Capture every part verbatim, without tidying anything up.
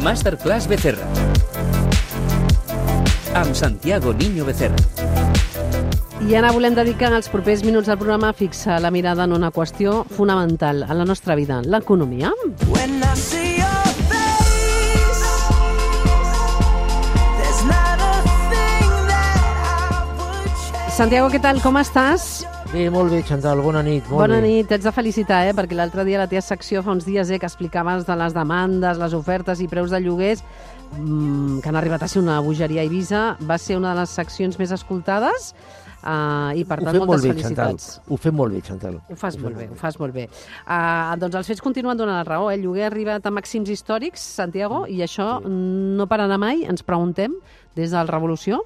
Masterclass Becerra. Amb Santiago Niño Becerra. I ara volem dedicar els propers minuts del programa a fixar la mirada en una qüestió fonamental a la nostra vida, l'economia. Santiago, què tal? Com estàs? Bé, molt bé, Chantal, bona nit. Molt bona bé. nit, t'haig de felicitar, eh? Perquè l'altre dia a la teva secció fa uns dies eh, que explicaves de les demandes, les ofertes i preus de lloguers mmm, que han arribat a ser una bogeria a Eivissa. Va ser una de les seccions més escoltades uh, i per tant moltes bé, felicitats. Chantal. Ho fem molt bé, Chantal. Ho fas ho molt bé, ho fas molt bé. Uh, doncs els fets continuen donant la raó. Eh? El lloguer ha arribat a màxims històrics, Santiago, i això sí. no pararà mai, ens preguntem, des de la Revolució.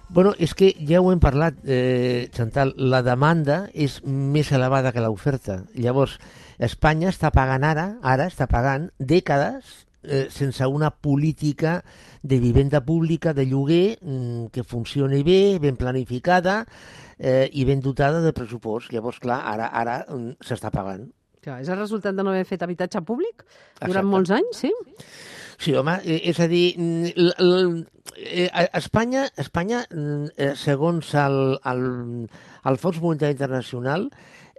Bueno, és que ja ho hem parlat, eh, Chantal, la demanda és més elevada que l'oferta. Llavors, Espanya està pagant ara, ara està pagant dècades eh, sense una política de vivenda pública, de lloguer, mm, que funcioni bé, ben planificada eh, i ben dotada de pressupost. Llavors, clar, ara, ara mm, s'està pagant. Clar, és el resultat de no haver fet habitatge públic durant Exacte. molts anys, sí? Sí, home, és a dir, l, l, Espanya, Espanya segons el, el, el Fons Monetari Internacional,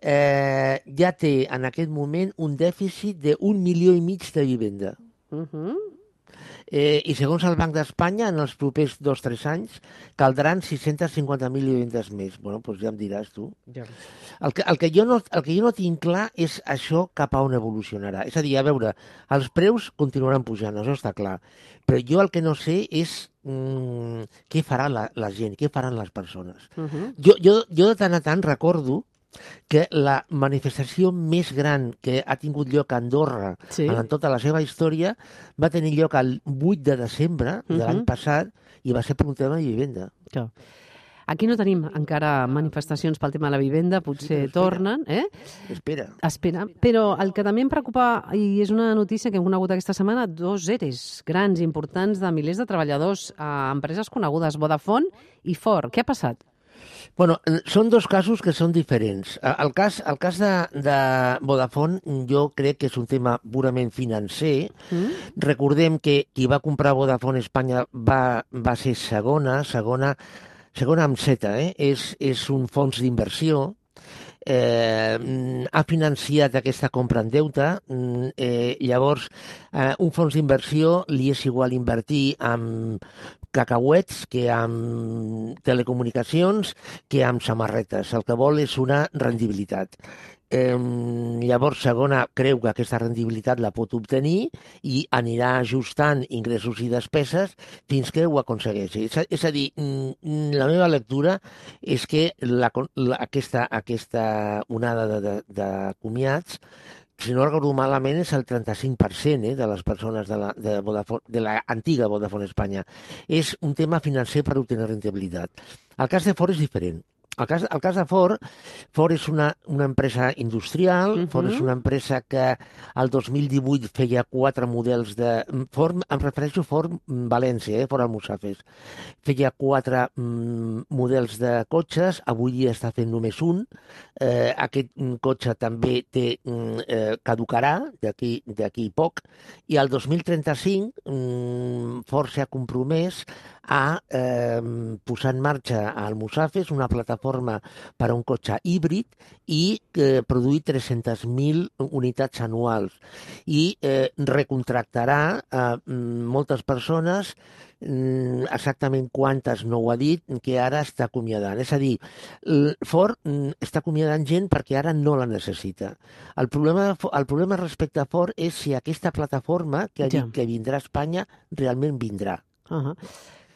eh, ja té en aquest moment un dèficit d'un milió i mig de vivenda. Uh-huh. Eh, I segons el Banc d'Espanya, en els propers dos o tres anys, caldran sis-cents cinquanta mil vivendes més. Bueno, doncs ja em diràs tu. Ja. El que, el, que jo no, el que jo no tinc clar és això cap a on evolucionarà. És a dir, a veure, els preus continuaran pujant, això està clar. Però jo el que no sé és mm, què farà la, la gent, què faran les persones. Uh-huh. Jo, jo, jo de tant a tant recordo que la manifestació més gran que ha tingut lloc a Andorra sí. en tota la seva història va tenir lloc el vuit de desembre de uh-huh. l'any passat i va ser per un tema de vivenda. Clar. Aquí no tenim encara manifestacions pel tema de la vivenda, potser sí, tornen. Eh? Espera. Espera. Però el que també em preocupa, i és una notícia que hem conegut aquesta setmana, dos E R Es grans, importants, de milers de treballadors a empreses conegudes, Vodafone i Ford. Què ha passat? Bueno, són dos casos que són diferents. El cas, el cas de, de Vodafone jo crec que és un tema purament financer. Mm. Recordem que qui va comprar Vodafone Espanya va, va ser segona, segona, segona amb Z, eh? és, és un fons d'inversió. Eh, ha financiat aquesta compra en deute, eh, llavors eh, un fons d'inversió li és igual invertir amb cacauets que amb telecomunicacions que amb samarretes. El que vol és una rendibilitat. Eh, llavors, segona, creu que aquesta rendibilitat la pot obtenir i anirà ajustant ingressos i despeses fins que ho aconsegueixi. És a, és a dir, la meva lectura és que la, la, aquesta, aquesta onada de, de, de comiats, si no recordo malament, és el trenta-cinc per cent eh, de les persones de la, de, Vodafone, de la antiga Vodafone Espanya. És un tema financer per obtenir rendibilitat. El cas de Ford és diferent. El cas, el cas de Ford, Ford és una, una empresa industrial, uh-huh. Ford és una empresa que el dos mil divuit feia quatre models de... Ford, em refereixo a Ford València, eh, Ford Almussafes. Feia quatre mm, models de cotxes, avui dia està fent només un. Eh, aquest cotxe també té, mm, eh, caducarà d'aquí d'aquí poc, i el dos mil trenta-cinc mm, Ford s'ha compromès a eh, posar en marxa a Almussafes una plataforma per a un cotxe híbrid i eh, produir tres-centes mil unitats anuals. I eh, recontractarà a eh, moltes persones, eh, exactament quantes no ho ha dit, que ara està acomiadant. És a dir, Ford eh, està acomiadant gent perquè ara no la necessita. El problema, el problema respecte a Ford és si aquesta plataforma que ha dit que vindrà a Espanya realment vindrà. Uh-huh.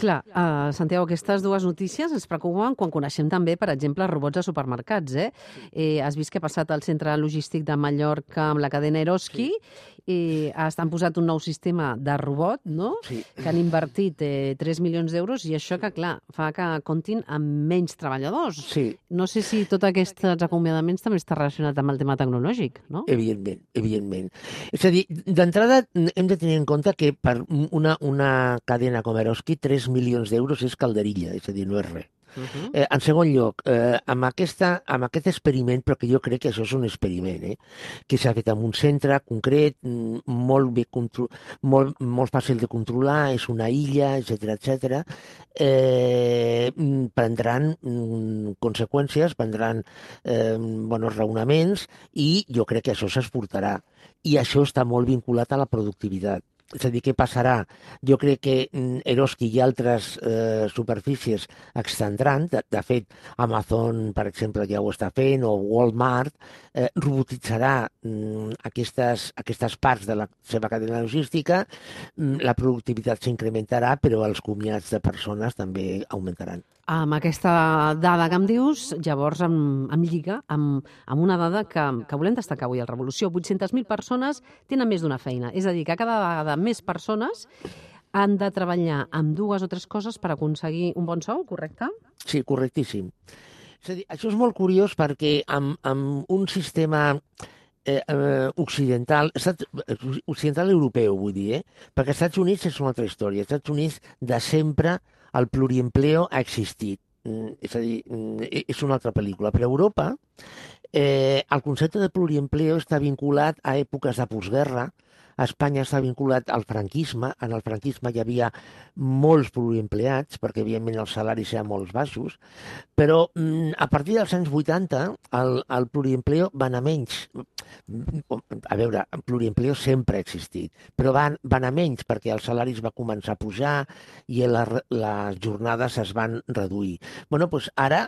Clar, uh, Santiago, aquestes dues notícies ens preocupen quan coneixem també, per exemple, robots a supermercats. Eh? Eh, has vist què ha passat al centre logístic de Mallorca amb la cadena Eroski? Sí. I han posat un nou sistema de robot, no? Sí. Que han invertit eh, tres milions d'euros i això que, clar, fa que comptin amb menys treballadors. Sí. No sé si tots aquests acomiadaments també està relacionat amb el tema tecnològic, no? Evidentment, evidentment. És a dir, d'entrada hem de tenir en compte que per una, una cadena com Eroski, tres milions d'euros és calderilla, és a dir, no és res. Uh-huh. eh, en segon lloc, eh, amb, aquesta, amb aquest experiment, però que jo crec que això és un experiment, eh, que s'ha fet en un centre concret, molt, bé contro- molt, molt fàcil de controlar, és una illa, etcètera, etcètera, eh, prendran mm, conseqüències, prendran eh, bons raonaments i jo crec que això s'exportarà. I això està molt vinculat a la productivitat. És a dir, què passarà? Jo crec que mm, Eroski i altres eh, superfícies extendran. De, de fet, Amazon, per exemple, ja ho està fent, o Walmart, eh, robotitzarà mm, aquestes, aquestes parts de la seva cadena logística, mm, la productivitat s'incrementarà, però els comiats de persones també augmentaran. Amb aquesta dada que em dius, llavors em, em lliga amb, amb una dada que, que volem destacar avui a Revolució. vuit-centes mil persones tenen més d'una feina. És a dir, que cada vegada més persones han de treballar amb dues o tres coses per aconseguir un bon sou, correcte? Sí, correctíssim. És a dir, això és molt curiós perquè amb, amb un sistema eh, eh, occidental, estat, occidental europeu, vull dir, eh? Perquè als Estats Units és una altra història. Als Estats Units, de sempre, el pluriempleo ha existit. Mm, és a dir, mm, és una altra pel·lícula. Però a Europa, eh, el concepte de pluriempleo està vinculat a èpoques de postguerra. A Espanya està vinculat al franquisme. En el franquisme hi havia molts pluriempleats, perquè evidentment els salaris eren molt baixos, però mm, a partir dels anys vuitanta el, el pluriempleo va anar menys. A veure, el pluriempleo sempre ha existit, però van, van anar menys perquè els salaris va començar a pujar i la, les jornades es van reduir. Bueno, doncs ara,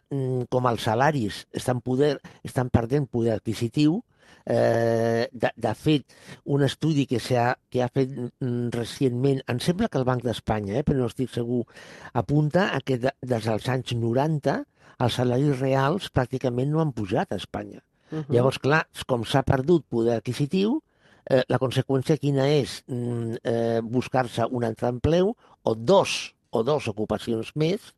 com els salaris estan, poder, estan perdent poder adquisitiu, Eh, de, de fet, un estudi que, ha, que ha fet mm, recentment, em sembla que el Banc d'Espanya, eh, però no estic segur, apunta a que de, des dels anys noranta els salaris reals pràcticament no han pujat a Espanya. Uh-huh. Llavors, clar, com s'ha perdut poder adquisitiu, eh, la conseqüència quina és? Mm, eh, buscar-se un altre empleu o dos, o dos ocupacions més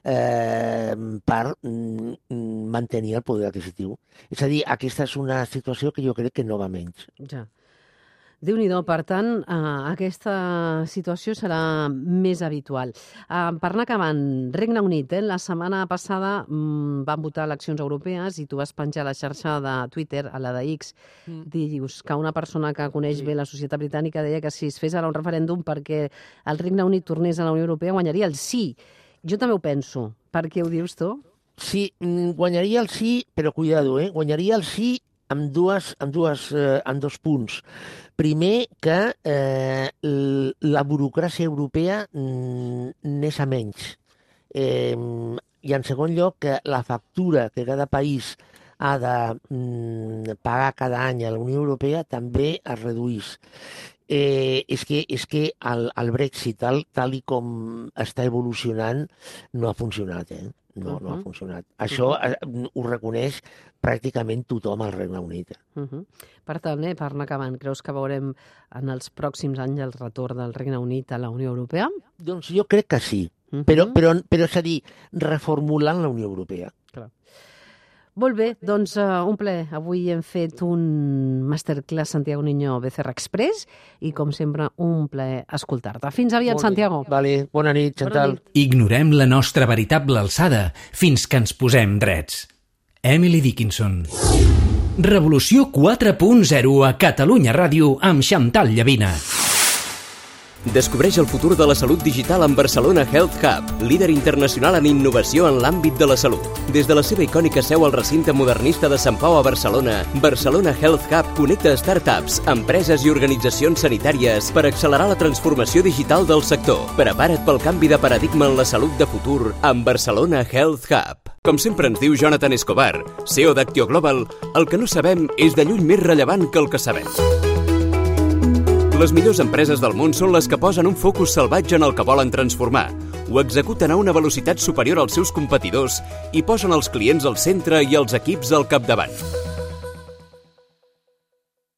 Eh, per mm, mantenir el poder adquisitiu. És a dir, aquesta és una situació que jo crec que no va menys. Ja. Déu-n'hi-do, per tant, eh, aquesta situació serà més habitual. Eh, per anar acabant, Regne Unit, eh, la setmana passada mm, van votar eleccions europees i tu vas penjar a la xarxa de Twitter, a la de X, mm. dius que una persona que coneix sí. bé la societat britànica deia que si es fes ara un referèndum perquè el Regne Unit tornés a la Unió Europea guanyaria el sí. Jo també ho penso. Per què ho dius tu? Sí, guanyaria el sí, però cuidado, eh? Guanyaria el sí amb, dues, amb, dues, eh, amb dos punts. Primer, que eh, la burocràcia europea n'és a menys. Eh, I en segon lloc, que la factura que cada país ha de mm, pagar cada any a la Unió Europea també es reduís. Eh, és que, és que el, el Brexit, tal, tal i com està evolucionant, no ha funcionat, eh? No, uh-huh. no ha funcionat. Això uh-huh. ho reconeix pràcticament tothom al Regne Unit. Uh-huh. Per tant, eh, per anar acabant, creus que veurem en els pròxims anys el retorn del Regne Unit a la Unió Europea? Doncs jo crec que sí, uh-huh. però, però, però és a dir, reformulant la Unió Europea. Clar. Molt bé, doncs uh, un plaer. Avui hem fet un masterclass Santiago Niño Becerra Express i, com sempre, un plaer escoltar-te. Fins aviat, Santiago. Vale, bona nit, Chantal. Bona nit. Ignorem la nostra veritable alçada fins que ens posem drets. Emily Dickinson. Revolució quatre punt zero a Catalunya Ràdio amb Chantal Llavina. Descobreix el futur de la salut digital amb Barcelona Health Hub, líder internacional en innovació en l'àmbit de la salut. Des de la seva icònica seu al recinte modernista de Sant Pau a Barcelona, Barcelona Health Hub connecta startups, empreses i organitzacions sanitàries per accelerar la transformació digital del sector. Prepara't pel canvi de paradigma en la salut de futur amb Barcelona Health Hub. Com sempre ens diu Jonathan Escobar, C E O d'Actio Global, el que no sabem és de lluny més rellevant que el que sabem. Les millors empreses del món són les que posen un focus salvatge en el que volen transformar, ho executen a una velocitat superior als seus competidors i posen els clients al centre i els equips al capdavant.